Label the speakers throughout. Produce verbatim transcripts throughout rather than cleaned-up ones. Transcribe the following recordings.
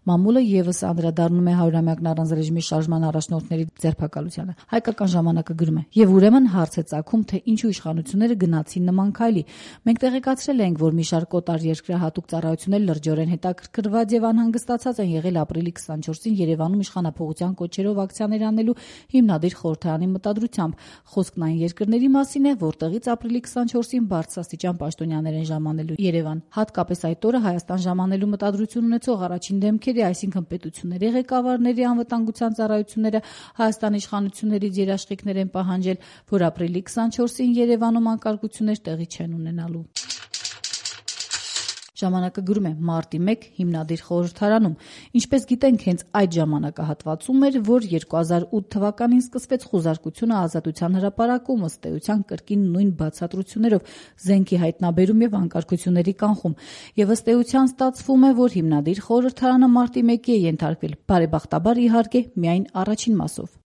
Speaker 1: Մամուլը ևս անդրադառնում է հարյուրամյակն առանց ռեժիմի շարժման առաջնորդների ձերբակալությանը։ Հայկական ժամանակը գրում է. «Եվ ուրեմն հարց է ծագում, թե ինչու իշխանությունները գնացին նման քայլի։ Մենք տեղեկացրել ենք, որ մի շարք օտար երկրահատուկ ծառայություններ լրջորեն հետաքրքրված եւ անհանգստացած են եղել ապրիլի քսանչորսին Երևանում իշխանափոխության կոչերով ակցիաներ անելու հիմնադիր խորհրդարանի մտադրությամբ։ Խոսքն այն երկրների մասին է, որտեղից ապրիլի քսանչորսին բարձրաստիճան պաշտոնյաներ են ժամանելու Երևան։ Հատկապես այդ օրը Հայաստան ժամանելու մտադրություն ունեցող առաջին դեմքերի, այսինքն պետությունների ղեկավարների անվտանգության ծառայությունները Հայաստանի իշխանություններից երաշխիքներ են պահանջել, որ ապրիլի քսանչորսին Երևանում անկարգություններ տեղի չեն ունենալու»։ Ժամանակը գրում է. «Մարտի մեկ հիմնադիր խորհրդարանում։ Ինչպես գիտենք, հենց այդ ժամանակահատվածում էր, որ երկու հազար ութ թվականին սկսվեց խուզարկությունը Ազատության հրապարակում, ըստ էության կրկին նույն բացատրություններով, զենքի հայտնաբերում եւ անկարգությունների կանխում։ Եվ ըստ էության ստացվում է, որ հիմնադիր խորհրդարանը մարտի մեկի է ենթարկվել, բարեբախտաբար իհարկե միայն առաջին մասով»։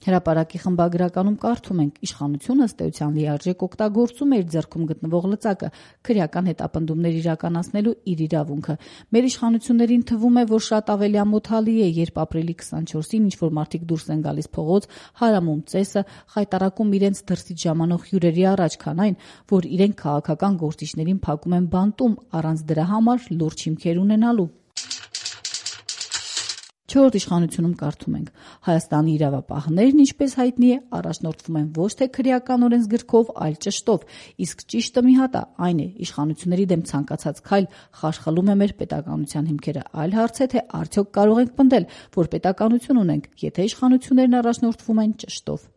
Speaker 1: Հրապարակի խմբագրականում կարդում ենք. «Իշխանությունը ըստ էության լիարժեք օգտագործում է իր ձեռքում գտնվող լծակը՝ քրեական հետապնդումներ իրականացնելու իր իրավունքը։ Մեր իշխանություններին թվում է, որ շատ ավելի ամոթալի է, երբ ապրիլի քսանչորսին ինչ-որ մարդիկ դուրս են գալիս փողոց, հարամում ծեսը, խայտառակում իրենց դրսից ժամանող հյուրերի առաջ, քան այն, որ իրենք քաղաքական գործիչներին փակում են բանտում, առանց դրա համար լուրջ հիմքեր ունենալու»։ Չորրորդ իշխանությունում կարդում ենք. «Հայաստանի իրավապահներն, ինչպես հայտնի է, առաջնորդվում են ոչ թե քրեական օրենսգրքով, այլ ճշտով, իսկ ճիշտը մի հատ է, այն է՝ իշխանությունների դեմ ցանկացած քայլ խարխլում է մեր պետականության հիմքերը, այլ հարց է, թե արդյոք կարող ենք պնդել, որ պետականություն ունենք, եթե իշխանություններն առաջնորդվում են ճշտով»։